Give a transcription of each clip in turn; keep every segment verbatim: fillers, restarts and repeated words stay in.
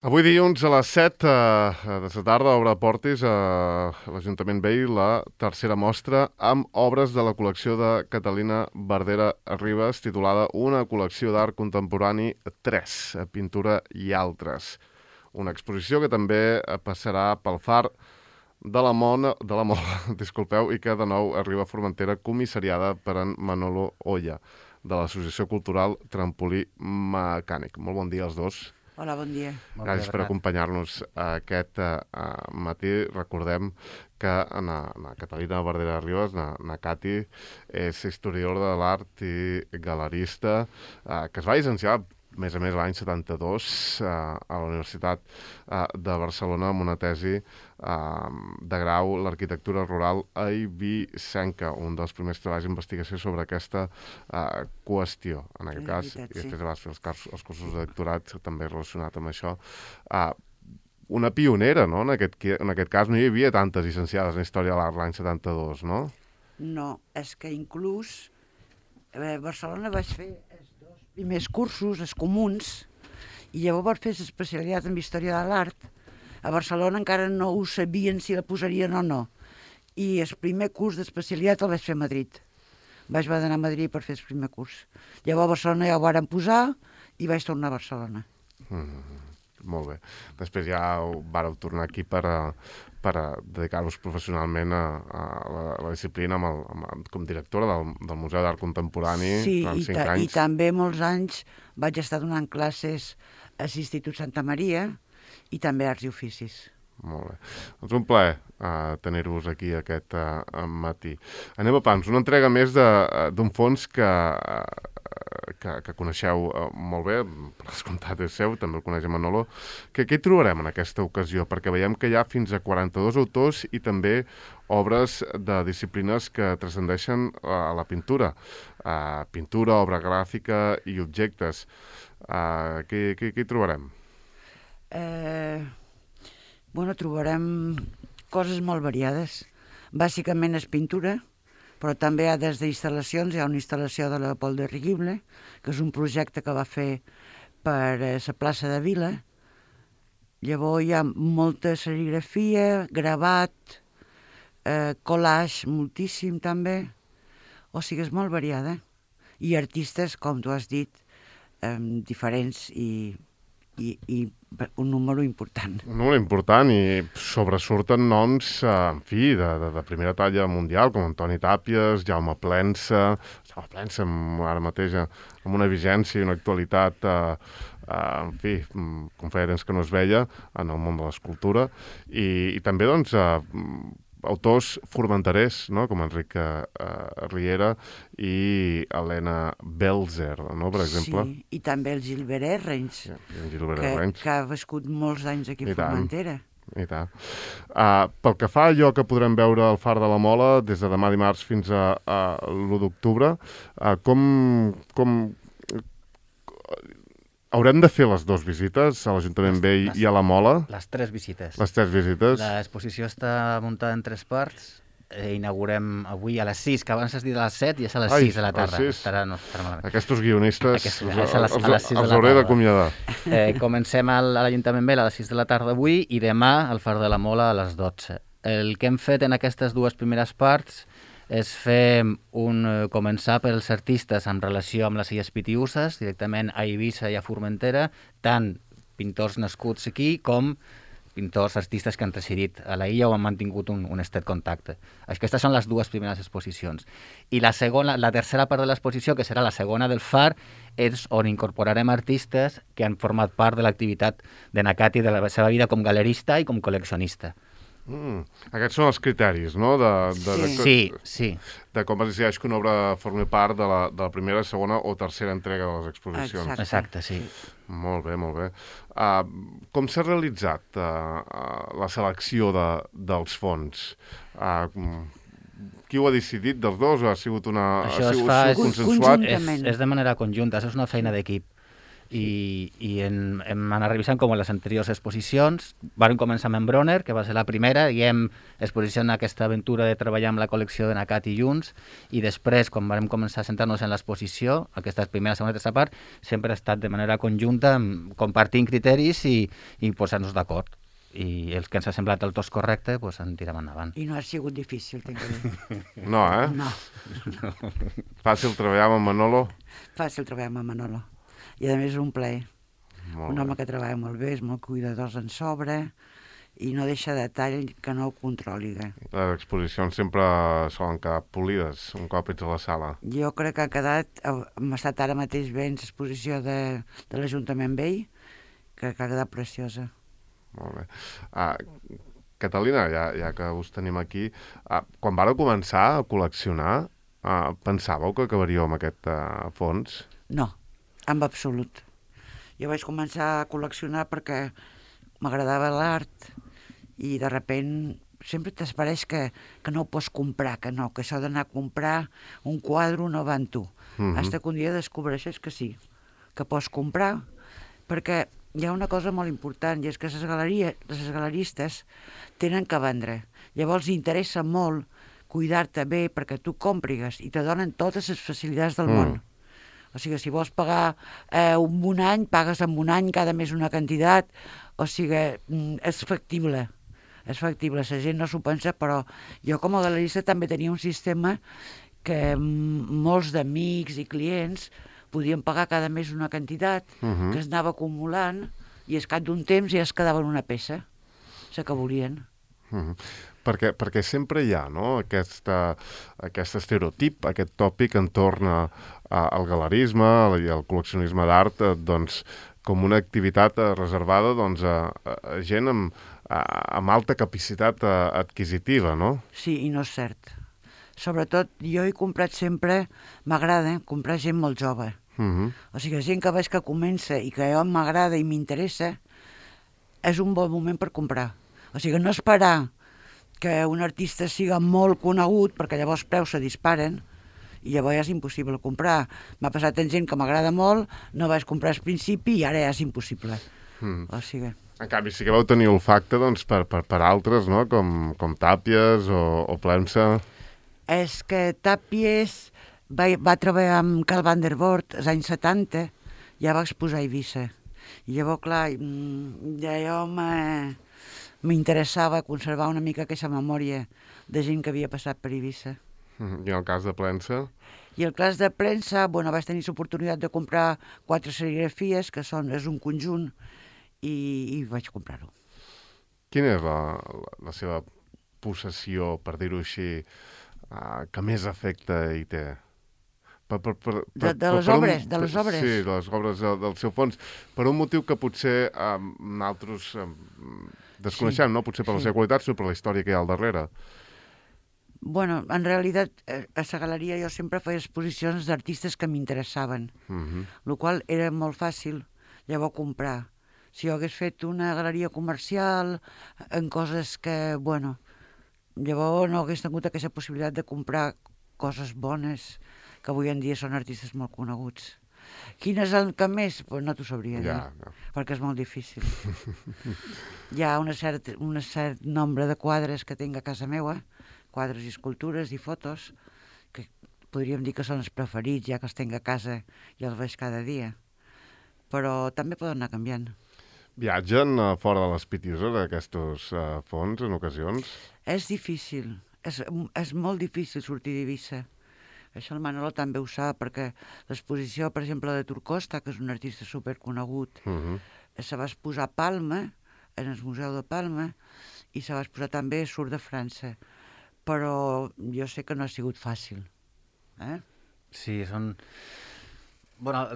Avui dilluns a les set eh, de la tarda obre portes a l'Ajuntament Vell la tercera mostra amb obres de la col·lecció de Catalina Verdera Ribas titulada Una col·lecció d'art contemporani tres, pintura i altres. Una exposició que també passarà pel far de la Mona, de la Mola, disculpeu, i que de nou arriba a Formentera comissariada per en Manolo Oya, de l'Associació Cultural Trampolí Mecànic. Molt bon dia als dos. Hola, bon dia. Gràcies per acompanyar-nos aquest uh, matí. Recordem que na, na Catalina Verdera Ribas, na, na Cati, és historiadora de l'art i galerista, uh, que es va llicenciar, a més a més, l'any setanta-dos uh, a la Universitat uh, de Barcelona amb una tesi uh, de grau l'arquitectura rural eivissenca, un dels primers treballs d'investigació sobre aquesta uh, qüestió. En aquest cas, veritat, i després sí. vas fer els, cars, els cursos de doctorat també relacionat amb això. Uh, una pionera, no? En aquest, en aquest cas no hi havia tantes llicenciades en Història de l'Art l'any setanta-dos, no? No, és que inclús a Barcelona vaig fer els dos primers cursos, els comuns, i llavors vaig fer l'especialitat en Història de l'Art. A Barcelona encara no ho sabien si la posarien o no. I el primer curs d'especialitat el vaig fer a Madrid. Vaig haver d'anar a Madrid per fer el primer curs. Llavors a Barcelona ja ho varen posar i vaig tornar a Barcelona. Mm, molt bé. Després ja vareu tornar aquí per a, per a dedicar-vos professionalment a, a, la, a la disciplina amb el, amb, com directora del, del Museu d'Art Contemporani Sí, durant i, cinc ta anys. i també molts anys vaig estar donant classes a l'Institut Santa Maria i també Arts i Oficis. Molt bé. Doncs un plaer uh, tenir-vos aquí aquest uh, matí. Anem a pams, una entrega més d'un fons que, uh, que, que coneixeu uh, molt bé, per descomptat és seu, també el coneix Manolo. Que, què hi trobarem en aquesta ocasió? Perquè veiem que hi ha fins a quaranta-dos autors i també obres de disciplines que transcendeixen a la pintura. Uh, pintura, obra gràfica i objectes. Uh, què, què, què hi trobarem? Eh... Bueno, trobarem coses molt variades. Bàsicament és pintura, però també hi ha des d'instal·lacions. Hi ha una instal·lació de Leopold de Rigible, que és un projecte que va fer per la plaça de Vila. Llavors hi ha molta serigrafia, gravat, eh, collage, moltíssim també. O sigui, és molt variada. I artistes, com tu has dit, eh, diferents i, i, i un número important. Un número important i sobresurten noms, eh, en fi, de, de, de primera talla mundial, com Antoni Tàpies, Jaume Plensa, Jaume Plensa amb, ara mateix amb una vigència i una actualitat, eh, eh, en fi, com feia temps que no es veia en el món de l'escultura, i, i també, doncs, eh, autors formenterers, no? Com Enric uh, Riera i Helena Belzer, no? Per exemple. Sí, i també el Gilbert Errens, sí, Gilbert que, Errens. que ha viscut molts anys aquí a Formentera. I tant. Uh, pel que fa a allò que podrem veure al Far de la Mola, des de demà dimarts fins a, a l'u d'octubre, uh, com... com haurem de fer les dues visites a l'Ajuntament Vell i a la Mola? Les tres visites. Les tres visites. L'exposició està muntada en tres parts. Eh, inaugurem avui a les sis, que abans has dit a les set i és a les Ai, sis de la tarda. Estarà, no, estarà Aquests guionistes Aquest, els, els, els, els, els hauré d'acomiadar. Eh, comencem a l'Ajuntament Vell a les sis de la tarda avui i demà al Far de la Mola a les dotze. El que hem fet en aquestes dues primeres parts és fer un, començar pels artistes en relació amb les Illes Pitiüses, directament a Eivissa i a Formentera, tant pintors nascuts aquí com pintors, artistes que han residit a la illa o han mantingut un, un estret contacte. Aquestes són les dues primeres exposicions. I la segona, la tercera part de l'exposició, que serà la segona del Far, és on incorporarem artistes que han format part de l'activitat de Nakati, de la seva vida com galerista i com col·leccionista. Mm. Aquests són els criteris, no? De, de, sí. De, sí, sí. De com es decideix que una obra formi part de la, de la primera, segona o tercera entrega de les exposicions. Exacte, Exacte sí. Molt bé, molt bé. Uh, com s'ha realitzat uh, uh, la selecció de, dels fons? Uh, qui ho ha decidit dels dos? Ha sigut una... Això ha sigut, es fa consensuat? És, és de manera conjunta, això és una feina d'equip. i, i en, hem anat revisant com en les anteriors exposicions. Vam començar amb en Bronner, que va ser la primera, i hem exposició en aquesta aventura de treballar amb la col·lecció de Nacat i Junts, i després, quan vam començar a centrar-nos en l'exposició, aquesta primera, segona i tercera part, sempre ha estat de manera conjunta, compartint criteris i, i posar-nos d'acord. I els que ens ha semblat el tos correcte, doncs en tirem endavant. I no ha sigut difícil, tinc que dir. No, eh? No. Fàcil treballar amb Manolo? Fàcil treballar amb Manolo. I a més és un plaer. Molt un bé. home que treballa molt bé, és molt cuidadós en sobre i no deixa detall que no ho controli. Eh? Les exposicions sempre solen quedar polides un cop ets a la sala. Jo crec que ha quedat, hem estat ara mateix veient l'exposició de, de l'Ajuntament Vell, que, que ha quedat preciosa. Molt bé. Ah, Catalina, ja, ja que us tenim aquí, ah, quan vareu començar a col·leccionar, ah, pensàveu que acabaríeu amb aquest ah, fons? No, en absolut. Jo vaig començar a col·leccionar perquè m'agradava l'art i de repent sempre t'espereix que, que no ho pots comprar, que no, que això d'anar a comprar un quadre no va en tu. Mhm. Fins que un dia descobreixes que sí, que pots comprar, perquè hi ha una cosa molt important, i és que les galeries, les galeristes tenen que vendre. Llavors interessa molt cuidar-te bé perquè tu còmprigues i te donen totes les facilitats del Mm. món. O sigui, si vols pagar eh, un, un any, pagues en un any cada mes una quantitat, o sigui, mm, és factible. És factible, la gent no s'ho pensa, però jo com a galerista també tenia un sistema que mm, molts d'amics i clients podien pagar cada mes una quantitat Mhm. que es anava acumulant i al cap d'un temps ja es quedaven una peça, la que volien. Mhm. Perquè, perquè sempre hi ha, no?, aquesta, aquest estereotip, aquest tòpic entorn a, a, al galerisme i al col·leccionisme d'art, eh, doncs, com una activitat eh, reservada doncs, a, a gent amb, a, amb alta capacitat eh, adquisitiva, no? Sí, i no és cert. Sobretot, jo he comprat sempre, m'agrada comprar gent molt jove. Mhm. O sigui, gent que veig que comença i que a mi m'agrada i m'interessa, és un bon moment per comprar. O sigui, no esperar que un artista siga molt conegut, perquè llavors els preus se disparen, i llavors ja és impossible comprar. M'ha passat en gent que m'agrada molt, no vaig comprar al principi i ara ja és impossible. Mhm. O sigui... En canvi, sí que vau tenir olfacte doncs, per, per, per altres, no?, com, com Tàpies o, o Plemsa. És que Tàpies va, va treballar amb Carl van der Voort als anys setanta, ja va exposar a Eivissa. I llavors, clar, mm, ja jo me- m'interessava conservar una mica aquesta memòria de gent que havia passat per Eivissa. Mhm. I en el cas de Plemsa? I el cas de premsa, bueno, vaig tenir l'oportunitat de comprar quatre serigrafies, que són, és un conjunt, i, i vaig comprar-ho. Quina és la, la, la seva possessió, per dir-ho així, uh, que més efecte hi té? Per, per, per, De- de les per obres, de les obres. Sí, de les obres del, del seu fons. Per un motiu que potser um, nosaltres um, desconeixem, Sí, no? Potser per la sí. seva qualitat, sinó per la història que hi ha al darrere. Bueno, en realitat, eh, a la galeria jo sempre feia exposicions d'artistes que m'interessaven, Mhm. el qual era molt fàcil llavors comprar. Si jo hagués fet una galeria comercial en coses que, bueno, llavors no hagués tingut aquesta possibilitat de comprar coses bones, que avui en dia són artistes molt coneguts. Quin és el que més? Pues no t'ho sabria dir, Ja, ja. perquè és molt difícil. Hi ha una cert, un cert nombre de quadres que tinc a casa meva, quadres i escultures i fotos, que podríem dir que són els preferits, ja que els tinc a casa i els veig cada dia. Però també poden anar canviant. Viatgen uh, fora de les Pitiuses aquests uh, fons en ocasions? És difícil, és, és molt difícil sortir d'Eivissa. Això el Manolo també ho sap, perquè l'exposició, per exemple, de Turcosta, que és un artista superconegut, Mhm. se va exposar a Palma, en el Museu de Palma, i se va exposar també a Sur de França. Però jo sé que no ha sigut fàcil. Eh? Sí, són... Bueno,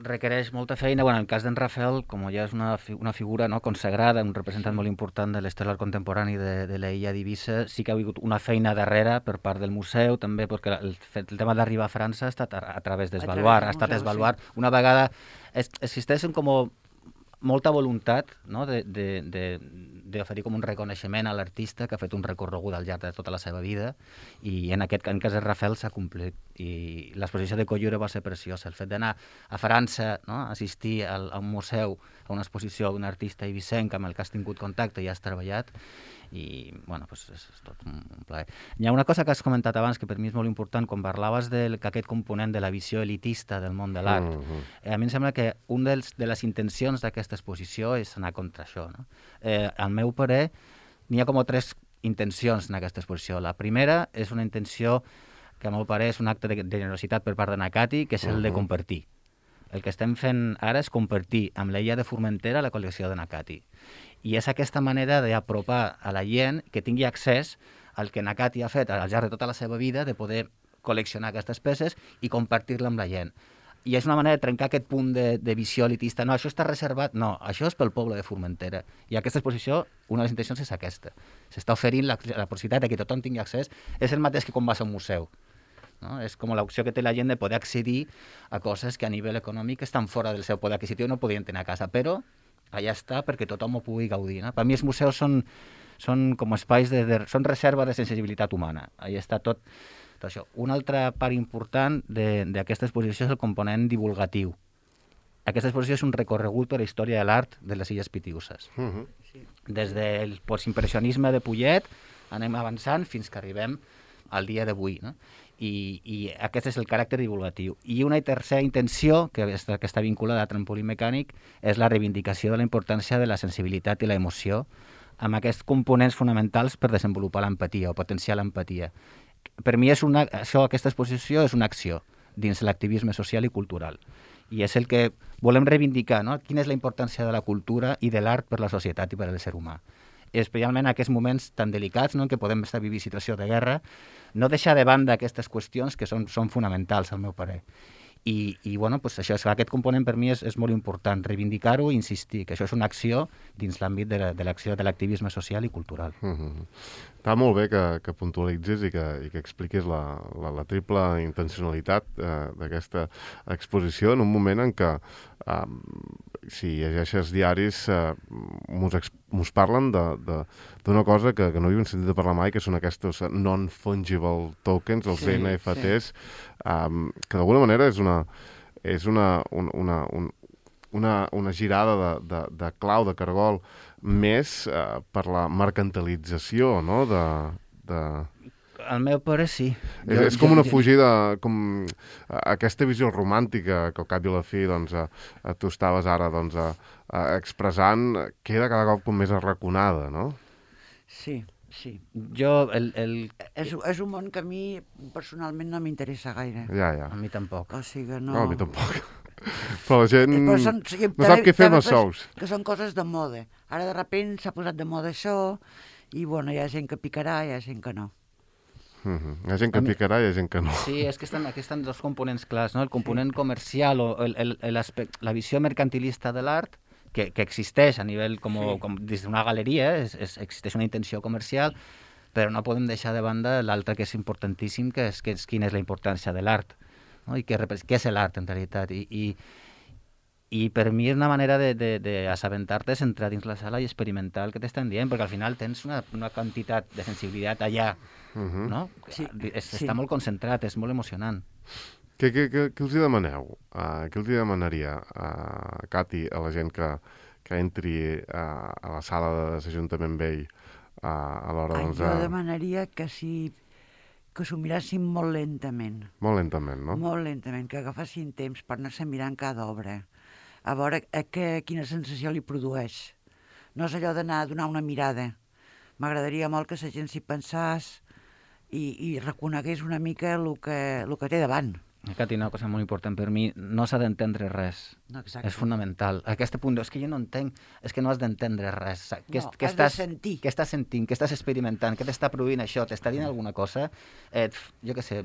requereix molta feina. Bueno, en el cas d'en Rafael, com ja és una, fi una figura no, consagrada, un representant molt important de l'estel contemporani de, de l'illa d'Eivissa, sí que ha hagut una feina darrere per part del museu, també perquè el, el tema d'arribar a França ha estat a, a través d'Esvaluar, ha estat Esvaluar. Sí. Una vegada es, existeixen com molta voluntat, no?, de, de, de, d'oferir com un reconeixement a l'artista que ha fet un recorregut al llarg de tota la seva vida, i en aquest en cas de Rafael s'ha complit. I l'exposició de Collura va ser preciosa. El fet d'anar a França, no? Assistir al, a un museu, a una exposició d'un artista eivissenc amb el que has tingut contacte i has treballat, i bueno, pues és, és tot un, un plaer. Hi ha una cosa que has comentat abans que per mi és molt important, quan parlaves del, que aquest component de la visió elitista del món de l'art. Mm-hmm. A mi em sembla que un dels, de les intencions d'aquesta exposició és anar contra això, no? Eh, al meu parer, n'hi ha com tres intencions en aquesta exposició. La primera és una intenció que a meu parer és un acte de generositat per part de Nakati, que és el de compartir. El que estem fent ara és compartir amb l'Illa de Formentera la col·lecció de Nakati. I és aquesta manera d'apropar a la gent que tingui accés al que Nakati ha fet al llarg de tota la seva vida, de poder col·leccionar aquestes peces i compartir-la amb la gent. I és una manera de trencar aquest punt de, de visió elitista. No, això està reservat. No, això és pel poble de Formentera. I aquesta exposició, una de les intencions és aquesta. S'està oferint la, la possibilitat que tothom tingui accés. És el mateix que quan vas a un museu. No? És com l'opció que té la gent de poder accedir a coses que a nivell econòmic estan fora del seu poder adquisitiu i no podien tenir a casa, però allà està perquè tothom ho pugui gaudir. No? Per mi els museus són, són com espais de, de, són reserva de sensibilitat humana. Allà està tot, tot això. Una altra part important d'aquesta exposició és el component divulgatiu. Aquesta exposició és un recorregut per la història de l'art de les Illes Pitiüses. Uh-huh. Des del postimpressionisme de Pullet anem avançant fins que arribem al dia d'avui, no? I, i aquest és el caràcter divulgatiu. I una tercera intenció, que està, que està vinculada a trampolí mecànic, és la reivindicació de la importància de la sensibilitat i l'emoció amb aquests components fonamentals per desenvolupar l'empatia o potenciar l'empatia. Per mi és una, això, aquesta exposició és una acció dins l'activisme social i cultural. I és el que volem reivindicar, no? Quina és la importància de la cultura i de l'art per la societat i per al ser humà. Especialment en aquests moments tan delicats, no?, en què podem estar vivint situació de guerra, no deixar de banda aquestes qüestions que són, són fonamentals, al meu parer. I, i bueno, pues això, aquest component per mi és, és molt important, reivindicar-ho i insistir, que això és una acció dins l'àmbit de l'acció de l'activisme social i cultural. Mm-hmm. Està molt bé que, que puntualitzis i que, i que expliquis la, la, la triple intencionalitat eh, d'aquesta exposició en un moment en què, eh, si llegeixes diaris, eh, mos parlen d'una cosa que, que no havíem sentit de parlar mai, que són aquests non-fungible tokens, els sí, N F Ts, sí. um, que d'alguna manera és una, és una, una, una, una, una girada de, de, de clau, de cargol, més eh, per la mercantilització, no?, de... de... Al meu pare sí. És, jo, és com una fugida, com aquesta visió romàntica que al cap i a la fi doncs, a, a tu estaves ara doncs, a, a expressant, queda cada cop com més arraconada, no? Sí, sí. Jo, el... el... És, és un món que a mi personalment no m'interessa gaire. Ja, ja. A mi tampoc. O sigui, no... No, a mi tampoc. Però la gent Però són, o sigui, no sap què fer amb els sous. Que són coses de moda. Ara de sobte s'ha posat de moda això i bueno, hi ha gent que picarà i hi ha gent que no. Uh-huh. Hi ha gent que mi... picarà i hi ha gent que no. Sí, és que estan, aquí estan dos components clars, no? El component sí. comercial o el, el, el la visió mercantilista de l'art, que, que existeix a nivell com, sí. com des d'una galeria, és, és, existeix una intenció comercial, però no podem deixar de banda l'altre que és importantíssim, que és, que és quina és la importància de l'art, no? I què, què és l'art en realitat. I, i, i per mi és una manera d'assabentar-te, entrar dins la sala i experimentar el que t'estan dient, perquè al final tens una, una quantitat de sensibilitat allà, uh-huh. no? Sí, es, sí. Està molt concentrat, és molt emocionant. Què, què, què, què els hi demaneu? Uh, què els hi demanaria, uh, Cati, a la gent que, que entri uh, a la sala de l'Ajuntament Vell uh, a l'hora Ai, doncs... Jo demanaria que si que s'ho mirassin molt lentament. Molt lentament, no? Molt lentament, que agafassin temps per anar-se mirant cada obra, a veure a que, quina sensació li produeix. No és allò d'anar a donar una mirada. M'agradaria molt que la gent s'hi pensés i, i reconegués una mica el que, el que té davant. Cati, una cosa molt important per mi, no s'ha d'entendre res. No, és fonamental. A aquest punt, és que jo no entenc, és que no has d'entendre res. Què, no, què has estàs, de sentir. Què estàs sentint, què estàs experimentant, què t'està produint això, t'està dient alguna cosa? Eh, jo què sé,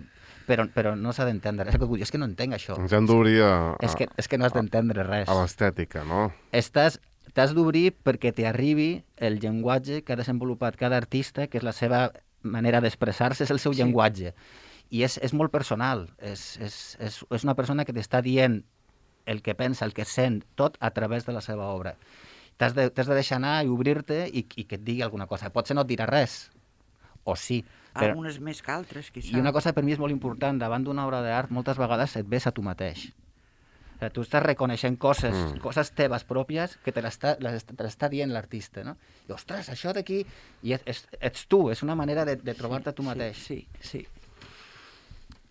però, però no s'ha d'entendre. És que, és que no entenc això. Ens hem d'obrir a... És que, és que no has d'entendre res. A l'estètica, no? Estàs... T'has d'obrir perquè t'arribi el llenguatge que ha desenvolupat cada artista, que és la seva manera d'expressar-se, és el seu sí. llenguatge. I és, és molt personal, és, és, és, és una persona que t'està dient el que pensa, el que sent, tot a través de la seva obra. t'has de, t'has de deixar anar i obrir-te i, i que et digui alguna cosa. Potser no et dirà res, o sí. Però... Algunes més que altres, quizà. I una cosa per mi és molt important, davant d'una obra d'art, moltes vegades et ves a tu mateix. O sigui, tu estàs reconeixent coses, mm. coses teves pròpies que te l'està, te l'està dient l'artista, no? I, ostres, això d'aquí... I ets, ets tu, és una manera de, de trobar-te tu mateix. Sí, sí. sí.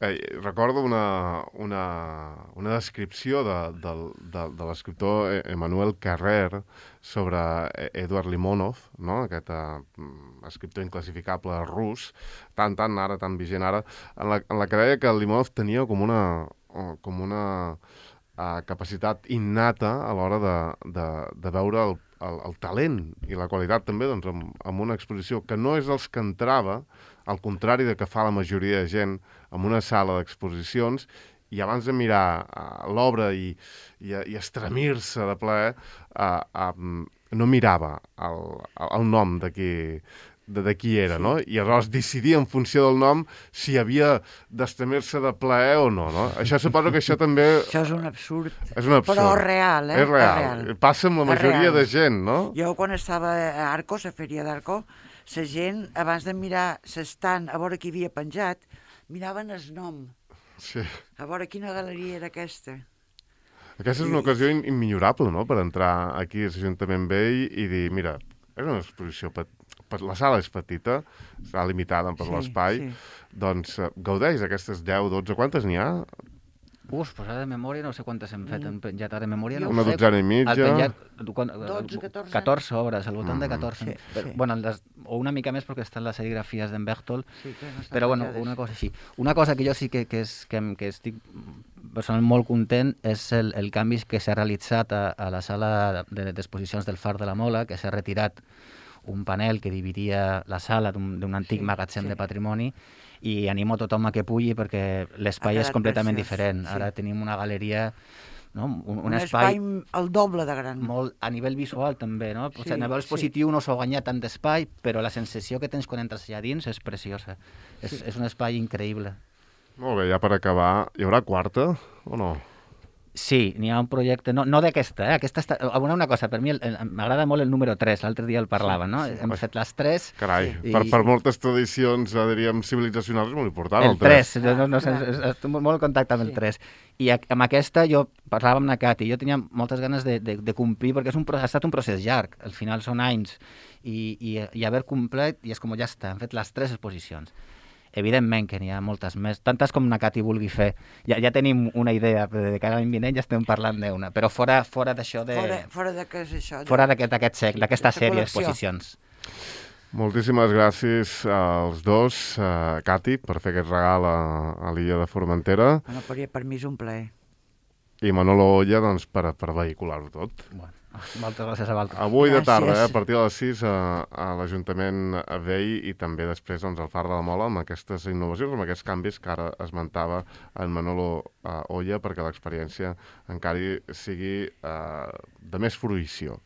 Eh, recordo una, una, una descripció de, de, de, de l'escriptor Emmanuel Carrère sobre Eduard Limonov, no? Aquest uh, escriptor inclassificable rus, tan, tan ara, tan vigent ara, en la, en la que deia que Limonov tenia com una, com una uh, capacitat innata a l'hora de, de, de veure el, el, el talent i la qualitat també doncs, amb, amb una exposició que no és els que entrava, al contrari de que fa la majoria de gent en una sala d'exposicions, i abans de mirar uh, l'obra i, i, i estremir-se de plaer, uh, uh, no mirava el, el nom de qui, de, de qui era, sí. No? I aleshores decidia en funció del nom si havia d'estremir-se de plaer o no, no? Això suposo que això també... Això és un absurd. És un absurd. Però real, eh? És real. És real. Passa amb la majoria de gent, no? Jo quan estava a Arcos, a Fèria d'Arco, la gent, abans de mirar l'estant, a veure qui havia penjat, miraven el nom. Sí. A veure quina galeria era aquesta. Aquesta és una ocasió immillorable, no?, per entrar aquí a l'Ajuntament Vell i dir, mira, és una exposició, la sala és petita, serà limitada per sí, l'espai, sí. Doncs gaudeix d'aquestes deu, dotze, quantes n'hi ha? Uf, pues ara de memòria no sé quantes hem fet, hem penjat ara de memòria. No una sé, dotzena i mitja. Penjat, dotze, catorze. catorze obres, al voltant mm. de catorze. Sí, però, sí. Bueno, les, o una mica més perquè estan les serigrafies d'en Bertolt, sí, no però bueno, una cosa així. Una cosa que jo sí que, que, és, que, que estic personalment molt content és el, el canvi que s'ha realitzat a, a la sala d'exposicions del Far de la Mola, que s'ha retirat un panel que dividia la sala d'un antic sí, magatzem sí. de patrimoni, i animo tothom a que pugui perquè l'espai és completament preciós. Diferent. Ara sí. Tenim una galeria, no? un, un, un espai... espai el doble de gran. Molt, a nivell visual també, no? Sí, a nivell expositiu sí. no s'ho guanya tant d'espai, però la sensació que tens quan entres allà dins és preciosa. Sí. És, és un espai increïble. Molt bé, ja per acabar, hi haurà quarta o no? Sí, n'hi ha un projecte, no, no d'aquesta, eh? Aquesta està... Una, una cosa, per mi m'agrada molt el número tres, l'altre dia el parlava, no? Sí, sí. Hem fet les tres... Carai, i... per, per moltes tradicions, diríem, civilizacionals és molt important, el tres. El tres, no, no, no, estic molt en contacte amb el tres. I amb aquesta jo parlava amb la Cati, jo tenia moltes ganes de, de, de complir, perquè és un, ha estat un procés llarg, al final són anys, i, i, i haver complet, i és com ja està, hem fet les tres exposicions. Evidentment que n'hi ha moltes més, tantes com na Cati vulgui fer. Ja, ja tenim una idea, però de cara a l'any vinent ja estem parlant d'una, però fora, fora d'això de... Fora, fora de què és això? Fora d'aquest sec, d'aquesta sèrie d'exposicions. Moltíssimes gràcies als dos, uh, Cati, per fer aquest regal a, a l'illa de Formentera. Bueno, per, per mi és un plaer. I Manolo Olla, doncs, per, per vehicular-ho tot. Bueno. Moltes gràcies a vosaltres. Avui de tarda, eh, a partir de les sis, a, a l'Ajuntament Vell i també després doncs, al Far de la Mola amb aquestes innovacions, amb aquests canvis que ara esmentava en Manolo uh, Olla perquè l'experiència encara sigui uh, de més fruïció.